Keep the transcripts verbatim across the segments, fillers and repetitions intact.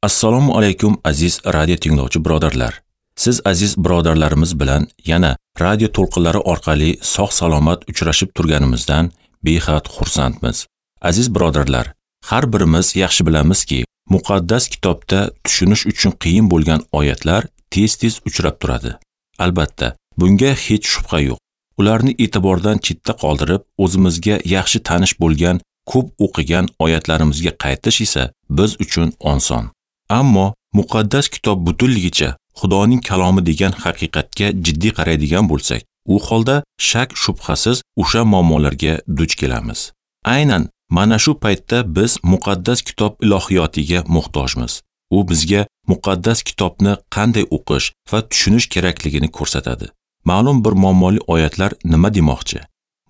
Assalomu alaykum aziz radio tinglovchi birodarlar. Siz aziz birodarlarimiz bilan yana radio to'lqinlari orqali sog' salomat uchrashib turganimizdan behad xursandmiz. Aziz birodarlar, har birimiz yaxshi bilamizki, muqaddas kitobda tushunish uchun qiyin bo'lgan oyatlar tez-tez uchrab turadi. Albatta, bunga hech shubha yo'q. Ularni e'tibordan chetda qoldirib, o'zimizga yaxshi tanish bo'lgan, ko'p o'qigan oyatlarimizga qaytish esa biz uchun oson. Ammo muqaddas kitob butunligicha Xudoning kalomi degan haqiqatga jiddiy qaraydigan bo'lsak, u holda shak shubhasiz o'sha muammolarga duch kelamiz. Aynan mana shu paytda biz muqaddas kitob ilohiyotiga muhtojmiz. U bizga muqaddas kitobni qanday o'qish va tushunish kerakligini ko'rsatadi. Ma'lum bir muammoli oyatlar nima demoqchi?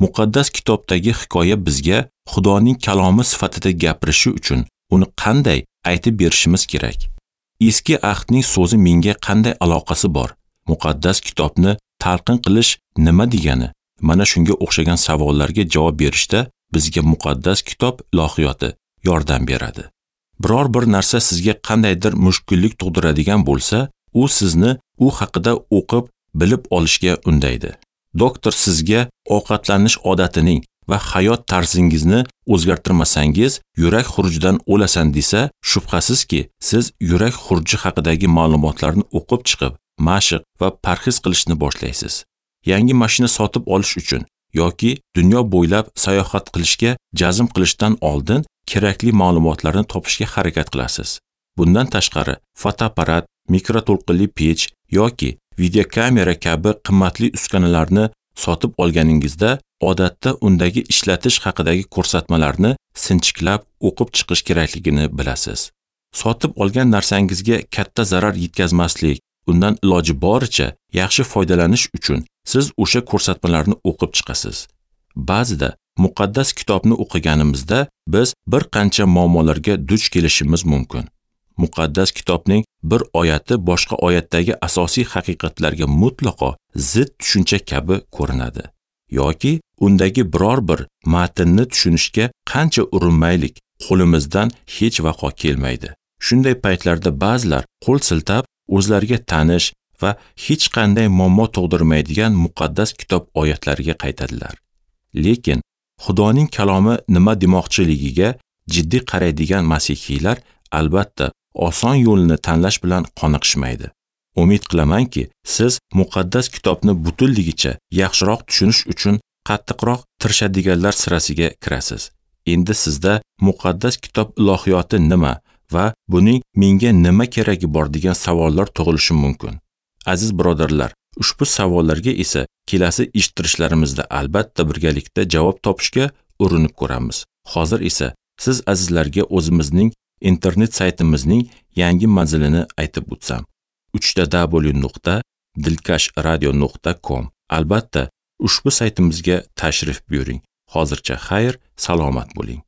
Muqaddas kitobdagi hikoya bizga Xudoning kalomi sifatida gapirishi uchun uni qanday aytib berishimiz kerak? Eski ahdning so'zi menga qanday aloqasi bor? Muqaddas kitobni talqin qilish nima degani? Mana shunga o'xshagan savollarga javob berishda bizga muqaddas kitob ilohiyoti yordam beradi. Biror bir narsa sizga qandaydir mushkullik tug'diradigan bo'lsa, u sizni u haqida o'qib, bilib olishga undaydi. Doktor sizga ovqatlanish odatining va hayot tarzingizni o'zgartirmasangiz, yurak xurujidan o'lasan desa, shubhasizki, siz yurak xuruji haqidagi ma'lumotlarni o'qib chiqib, mashq va parhez qilishni boshlaysiz. Yangi mashina sotib olish uchun yoki dunyo bo'ylab sayohat qilishga jazm qilishdan oldin kerakli ma'lumotlarni topishga harakat qilasiz. Bundan tashqari, fotoapparat, mikroto'lqinli pech yoki videokamera kabi qimmatli uskunalarni sotib olganingizda odatda undagi ishlatish haqidagi ko'rsatmalarni sinchiklab o'qib chiqish kerakligini bilasiz. Sotib olgan narsangizga katta zarar yetkazmaslik, undan iloji boricha yaxshi foydalanish uchun siz o'sha ko'rsatmalarni o'qib chiqasiz. Ba'zida muqaddas kitobni o'qiganimizda biz bir qancha muammolarga duch kelishimiz mumkin. Muqaddas kitobning bir oyati boshqa oyatdagi asosiy haqiqatlarga mutlaqo zid tushuncha kabi ko'rinadi. Yoki undagi biror bir matnni tushunishga qancha urinmaylik, qo'limizdan hech vaqo kelmaydi. Shunday paytlarda ba'zilar qo'l siltab, o'zlariga tanish va hech qanday muammo tug'dirmaydigan muqaddas kitob oyatlariga qaytadilar. Lekin Xudoning kalomi nima demoqchiligiga jiddiy qaraydigan masihiylar albatta oson yo'lni tanlash bilan qoniqishmaydi. Umid qilamanki, siz muqaddas kitobni butunligicha yaxshiroq tushunish uchun qattiqroq tirishadiganlar sirasiga kirasiz. Endi sizda muqaddas kitob ilohiyoti nima va buning menga nima keragi bor degan savollar tug'ilishi mumkin. Aziz birodarlar, ushbu savollarga esa kelasi eshittirishlarimizda albatta birgalikda javob topishga urinib ko'ramiz. Hozir esa siz azizlarga o'zimizning internet saytimizning yangi manzilini aytib o'tsam. uch ta w nuqta dilkash radio nuqta com. Albatta, ushbu saytimizga tashrif buyuring. Hozircha xayr, salomat bo'ling.